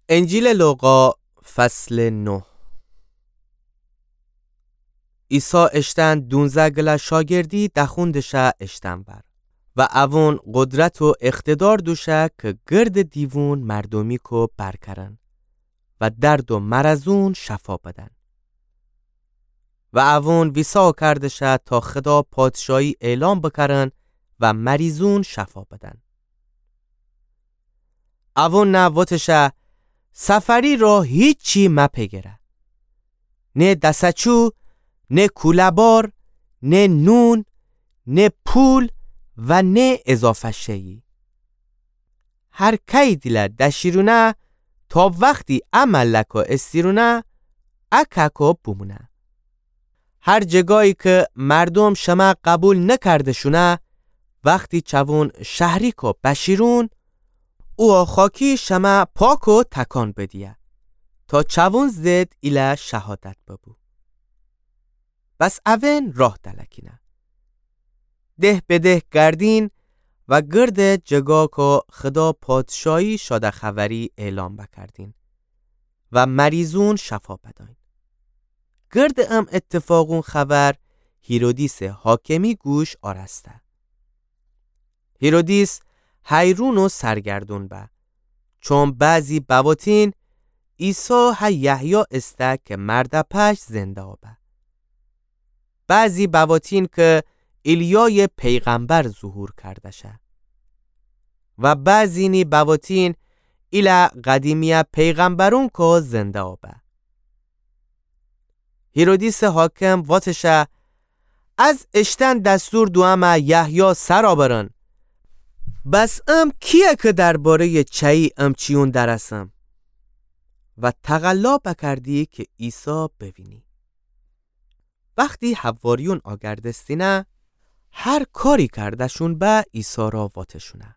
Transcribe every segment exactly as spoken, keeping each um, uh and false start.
انجیلٚ لوقا، فصلٚ نه. عیسی اشتن دونزه گله شاگردی دخوندشه اشتن ور و اوون قدرت و اقتدار دوشه که گردٚ دیوون مردومیکو بر کرن و درد و مرضون شفا بدن. و اوون ویسا کردشه تا خدا پادشاهی اعلام بکرن و مریضون شفا بدن. اوون نه وتشه، سفری را هیچی مپگره. نه دسچو، نه کوله‌بار، نه نون، نه پول و نه اضافه شیی. هر کئی دیله دشیرونه، تا وختی ا ملکا استیرونه، ا ککا بومونه. هر جگایی که مردوم شمه قبول نکردشونه، وختی چوون شهریکا بشیرون، او خاکی شمه پاک و تکان بدیه، تا چوون ضد ایله شهادت ببو. بس اوون راه دلکینه. ده به ده گردین و گردٚ جگاکا خدا پادشاهی شاده خبری اعلام بکردین و مریضون شفا بداین. گردٚ ام اتفاقون خبر هیرودیسٚ حاکمی گوش آرسته. هیرودیس حیرون و سرگردون به، چون بعضی بواتین عیسی هه یحیی استه که مرده پش زنده به. بعضی بواتین که ایلیایٚ پیغمبر ظهور کردشه و بعضینی بواتین ایله قدیمیه پیغمبرونکا زنده به. هیرودیسٚ حاکم واتشه، از اشتن دستور دومه یحیی سرا برن. بس ام کیه که درباره‌یٚ چایی امچیون درسم؟ و تقلا بکردی که عیسی بوینی. وختی حواریون آگردستینه، هر کاری کردشون به عیسی را واتشونه.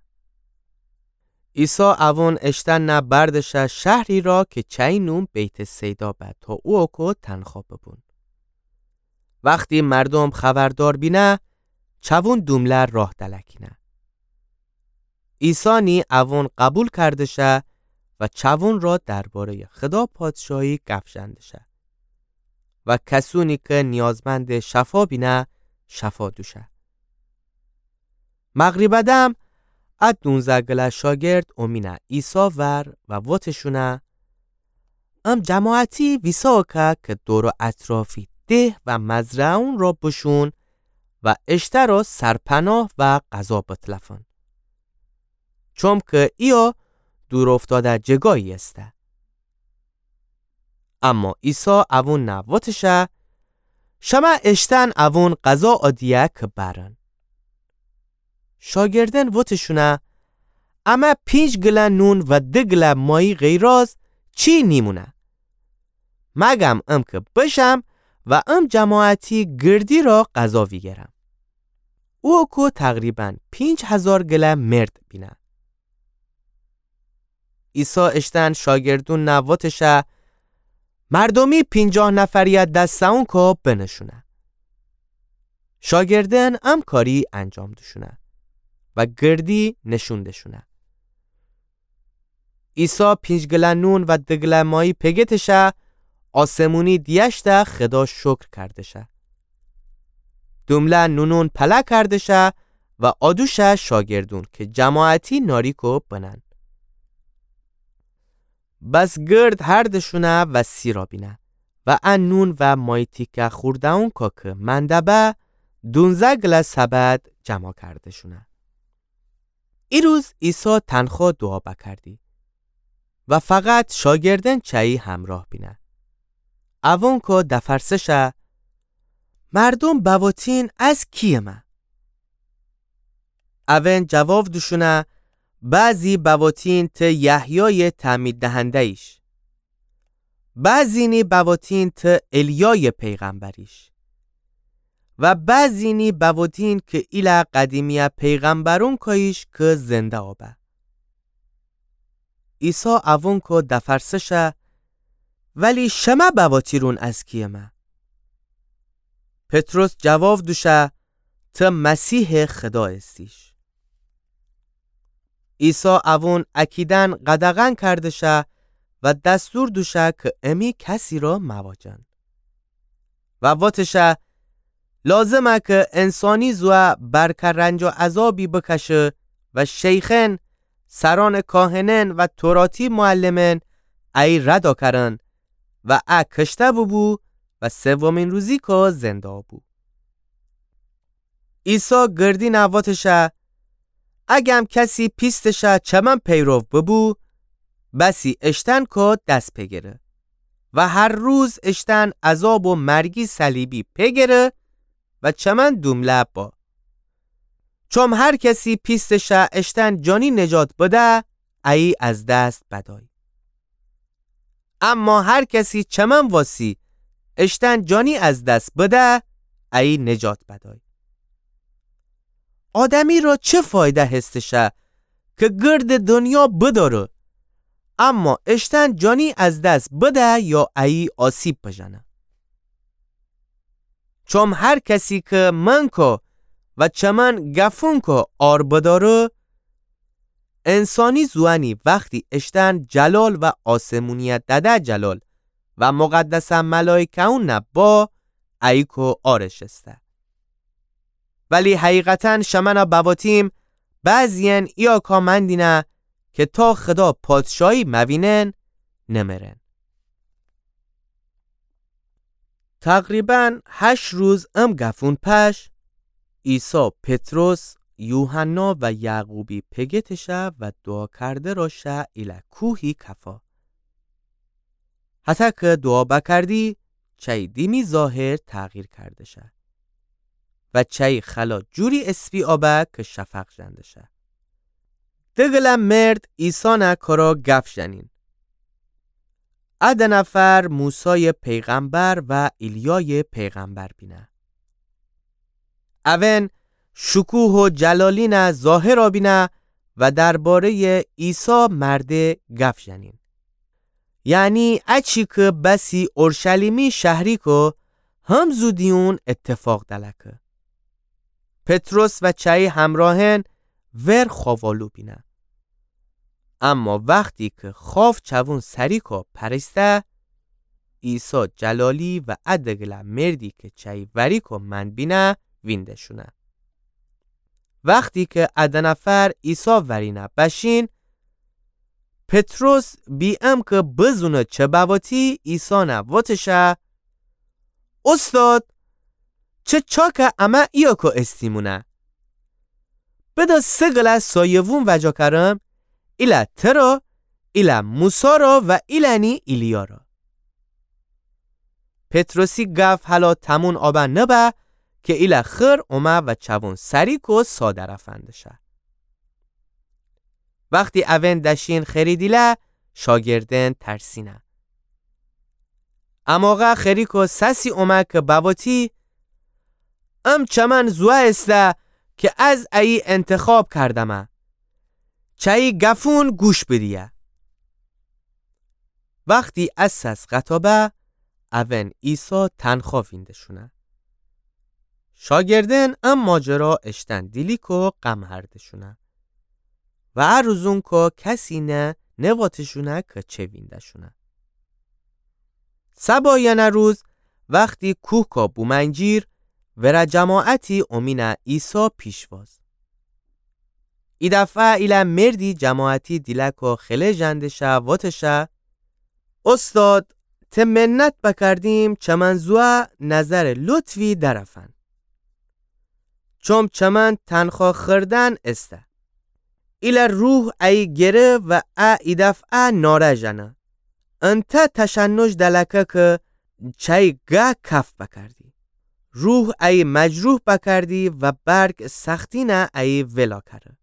عیسی اوون اشتن نه بردشه شهری را که چایی نوم بیت‌صیدا به تا اوکو تنخا ببون. وختی مردوم خبردار بینه، چوون دومله راه دلکینه. عیسی نی اوون قبول کردشه و چوون را درباره‌یٚ خدا پادشاهی گپ ژندشه و کسونی که نیازمندٚ شفا بینه، شفا دوشه. مغریبٚ دم ا دونزه گله شاگرد اومینه عیسی ور و واتشونه، ام جماعتی ویسا که که دور و اطرافی ده و مزرعه‌ون را بشون و اشترا سرپناه و غذا بتلفن. چوم که ایه دور افتاده جگایی استه. اما عیسی اوون نه واتشه، شمه اشتن اوون غذا آدیه که برن. شاگردن واتشونه، امه پینج گله نون و ده گله مایی غیراز چی نیمونه. مگم ام که بشم و ام جماعتی گردی را غذا ویگرم. اوکو تقریباً پینج هزار گله مرد بینه. عیسی اشتن شاگردون نه واتشه، مردومی پینجاه نفریه دسته‌ونکو بنشونه. شاگردن ام کاری انجام دوشونه و گردی نشون دشونه. عیسی پینج گله نون و ده گله مایی پگتشه، آسمونی دیه‌شته خدا شکر کردشه. دومله نونون پله کردشه و آدوشه شاگردون که جماعتی ناریکو بنن. بس گرد هردشونه و سیرا بینه و ا نون و مایی تیکه خورده‌ونکو که منده به، دونزه گله سبد جمع کردشونه. ای روز عیسی تنخا دوعا بکردی و فقط شاگردن چایی همراه بینه. اوونکو دفرسشه، مردوم بواتین از کیه مه؟ اوون جواب دوشونه، بعضی بواتین ته یحیای تعمید دهنده‌ییش، بعضینی بواتین ته الیای پیغمبریش و بعضینی بواتین که ایله قدیمیه پیغمبرونکاییش که زنده آبه. عیسی اوونکو دفرسشه، ولی شمه بواتیرون از کیه مه؟ پطرس جواب دوشه، ته مسیح خدا استیش. عیسی اوون اکیدن قدغن کردشه و دستور دوشه کی امی کسی را مواجن. و واتشه، لازمه کی انسانی زوه برکه رنج و عذابی بکشه و شیخأن، سرأنٚ کاهنأن و توراتی معلمأن ایی رد کرن و ا کشته بوبو و سومین روزی کو زنده بو. عیسی گردینه واتشه، اگم کسی پیستشه چمن پیرو ببو، بسی اشتن کو دس پگره و هر روز اشتن عذاب و مرگی صلیبی پگره و چمن دومله با. چوم هر کسی پیستشه اشتن جانی نجات بده، ایی از دست بدای. اما هر کسی چمن واسی اشتن جانی از دس بده، ایی نجات بدای. آدمی را چه فایده هستشه کی گردٚ دنیا بداره، اما اشتن جانی از دس بده یا ایی آسیب بجنه؟ چوم هر کسی کی من کو و چمن گفون کو آر بداره، انسانی زوانی وختی اشتن جلال و آسمونیه دده جلال و مقدسه ملایکه‌ونه با، ایی کو آرش استه. ولی حقیقتاً شمنه بواتیم، بعضیأن ایاکا مندینه کی تا خدا پادشاهی موینن، نمرن. تقریباً هشت روز ام گفون پش، عیسی پطرس، یوحنا و یعقوبی پگتشه و دوعا کرده را شه ایله کوهی کفا. هتأ کی دوعا بکردی، چأی دیمی ظاهر تغییر کرده شه و چأی خلا جوری اسپی آبه کی شفق ژنده شه. دگله مرد عیسانه کرا گف ژنین. ا د نفر موسای پیغمبر و ایلیای پیغمبر بینه. اون شکوه و جلالینه ظاهرا بینه و دربارهٔ عیسی مرده گف ژنین. یعنی اچی کی بسی اورشلیمی شهری کو هم زودیون اتفاق دلکه. پطرس و چأی همراهن ور خاوالو بینه. اما وختی کی خاو چوون سری کو پریسته، عیسی جلالی و ا دگله مردی کی چأی وری کو من بینه وینده‌شونه. وختی کی ا د نفر عیسی ورینه بشین، پطرس بی ام کی بزونه چه بواتی عیسانه وتشه، اوستاد، چه چاکه امه ایاکو استیمونه؟ بدا سه گله سایوون وجا کرم، ایله ترا، ایله موسی را و ایله‌نی ایلیا را. پطرسی گف هلا تمون آبه نبه کی ایله خیر اومه و چوون سری کو سا درفندشه. وختی اون دشین خری دیله، شاگردن ترسینه. اماقه خری کو سسی اومه کی بواتی، ام چمن زوه ایسته کی از ایی انتخاب کردمه. چأی گفون گوش بدیه. وختی ا سس قطابه، اون عیسی تنخا وینده‌شونه. شاگردن ا ماجرا اشتن دیلی کو غم هرده‌شونه. و ا روزون کو کسی نه نواته‌شونه کی چه وینده‌شونه. سبا یأنه روز وختی کوه کو بومنجیر، وره جماعتی اومینه عیسی پیشواز. ای دفعه ایله مردی جماعتی دیله کو خله ژنده‌شه وتشه، اوستاد، ته منت بکردیم چمن زوه نظرٚ لطفی درفن. چوم چمن تنخا خردن ایسته. ایله روح ایی گره و ا ای دفعه ناره ژنه. انتأ تشنج دلکه کی چأی گه کف بکردی. روح ایی مجروح بکردی و برگ سختینه ایی ولا کره.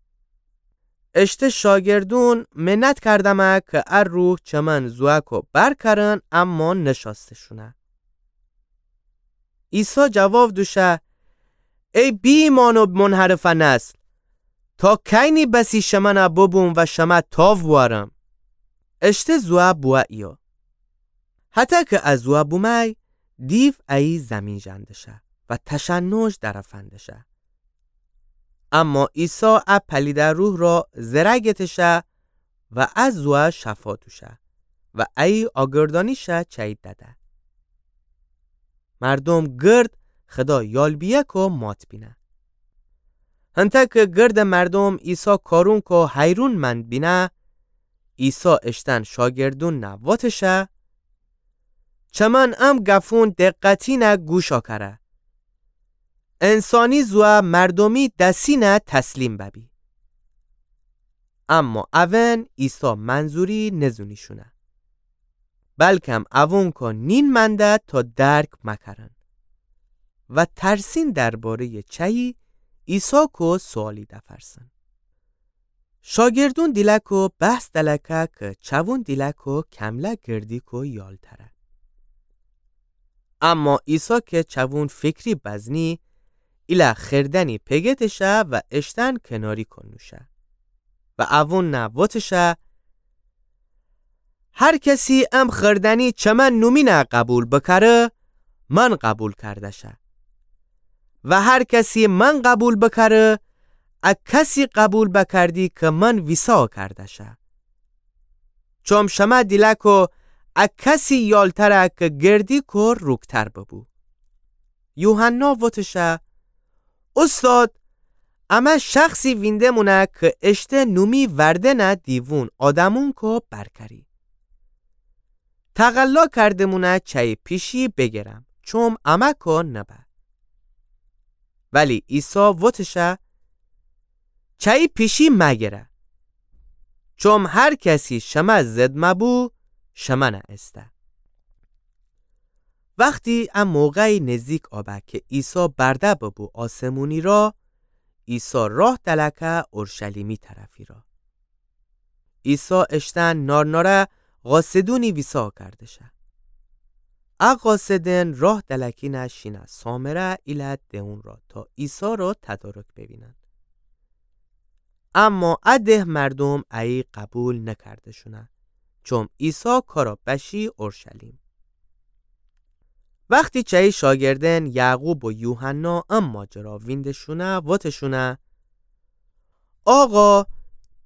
اشته شاگردون منت کردمه کی ا روح چمن زوه کو برکرن، اما نشاسته‌شونه. عیسی جواب دوشه، ای بی‌ایمان و منحرفه نسل، تا کینی بسی شمنه ببوم و شمه تاو بوأرم؟ اشته زوه بوه ایه. هتأ کی ا زوه بومأی، دیو ایی زیمین ژنده‌شه و تشنج درفنده‌شه. اما عیسی ا پلیده روح را زره گته‌شه و ا زوه شفا دوشه. و ایی آگردانیشَ چأیی دده. مردوم گرد خدا یال بیه کو مات بینه. هنتأ کی گردٚ مردوم عیسی کارون کو حیرون مأن بینه، عیسی اشتأن شاگردونَ وتشه: چمن ام گفون دقتینَ گوشَ کره. انسانی زوأ مردومی دسینَ تسلیم ببی. اما اون عیسی منظوری نزونیشونه، بلکم اون کو نین مأنده تا درک مکرن و ترسین درباره‌یٚ چأیی عیسی کو سوالی دفرسن. شاگردون دیلأ کو بحث دلکه کی چوون دیلأ کو کمله گردی کو یالتره. اما عیسی کی چوون فکری بزنی، ایلأ خردنی پگتشه و اشتأن کناری کو نوشه و اوونَ وتشه: هر کسی ام خردنی چمن نومینَ قبول بکره، من قبول کردشه. و هر کسی من قبول بکره، ا کسی قبول بکردی کی من ویسا کردشه. چوم شمه دیلأ کو ا کسی یالتره کی گردی کو روکتر ببو. یوحنا وتشه: اوستاد، امه شخصی وینده‌مونه کی اشته نومی وردنَ دیوون آدمون کو برکری. تقلا کرده‌مونه چأیی پیشی بگرم، چوم امه کو نبه. ولی عیسی وتشه: چأیی پیشی مگره. چوم هر کسی شمه ضد مبو، شمنَ ایسته. وختی ا موقعی نزدیک آبه کی عیسی برده ببو آسمونی را، عیسی راه دلکه اورشلیمی طرفی را. عیسی اشتأن نارناره قاصدونی ویسا کردشه. ا قاصدن راه دلکینه شینه سامره ایلأ دئون را تا عیسی را تدارک ببینن. اما ا ده مردوم ایی قبول نکرده‌شونه، چوم عیسی کارا بشی اورشلیم. وختی چأیی شاگردن یعقوب و یوحنا ا ماجرا وینده‌شونه، وتشونه: آقا،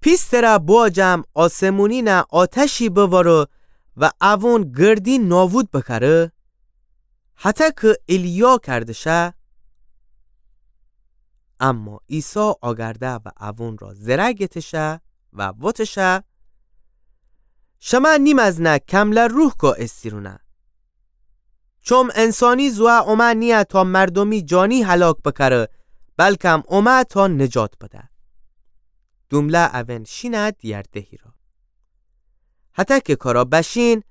پیستره بواجم آسمونینه آتشی بوارو و اوون گردی نابود بکره، هتأ کی ایلیا کردشه؟ اما عیسی آگرده و اوون را زره گتشه و وتشه: شمه نیمزنه کمله روح کو ایسیرونه. چوم انسانی زوه اومه نییه تا مردومی جانی هلاک بکره، بلکم اومه تا نجات بده. دومله اون شینه دیگر دهی را. هتأ کی کارا بشین،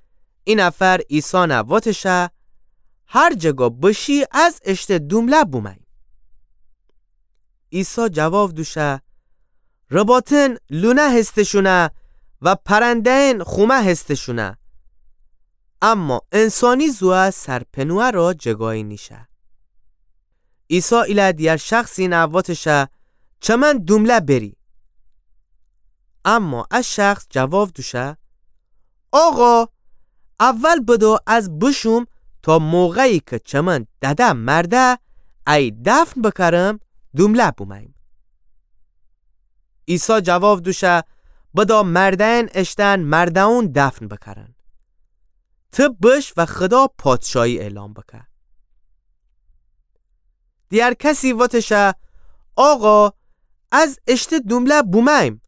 ای نفر عیسانه وتشه: هر جه گو بشی از اشته دومله بومأییم. عیسی جواب دوشه: رباطن لونه هسته‌شونه و پرنده‌ئن خومه هسته‌شونه، اما انسانی زوه سرپنوه را جگایی نیشه. عیسی ایله دیگر شخصینه وتشه: چمن دومله بری. اما ا شخص جواب دوشه: آقا، اول بدو از بشوم تا موقعی کی چمن دده مرده، ای دفن بکرم، دومله بومأییم. عیسی جواب دوشه: بدا مرده‌ئن اشتن مرده‌ئون دفن بکرن. ته بش و خدا پادشاهی اعلام بکه. دیگر کسی وتشه: آقا، از اشته دومله بومأییم،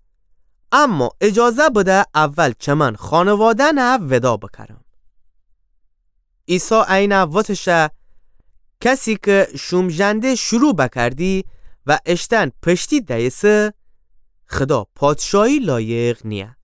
اما اجازه بده اول چمن خانواده‌نه ودا بکرم. عیسی اینه وتشه: کسی کی شومژنده شروع بکردی و اشتن پشتی دیسه، خدا پادشاهی لایق نییه.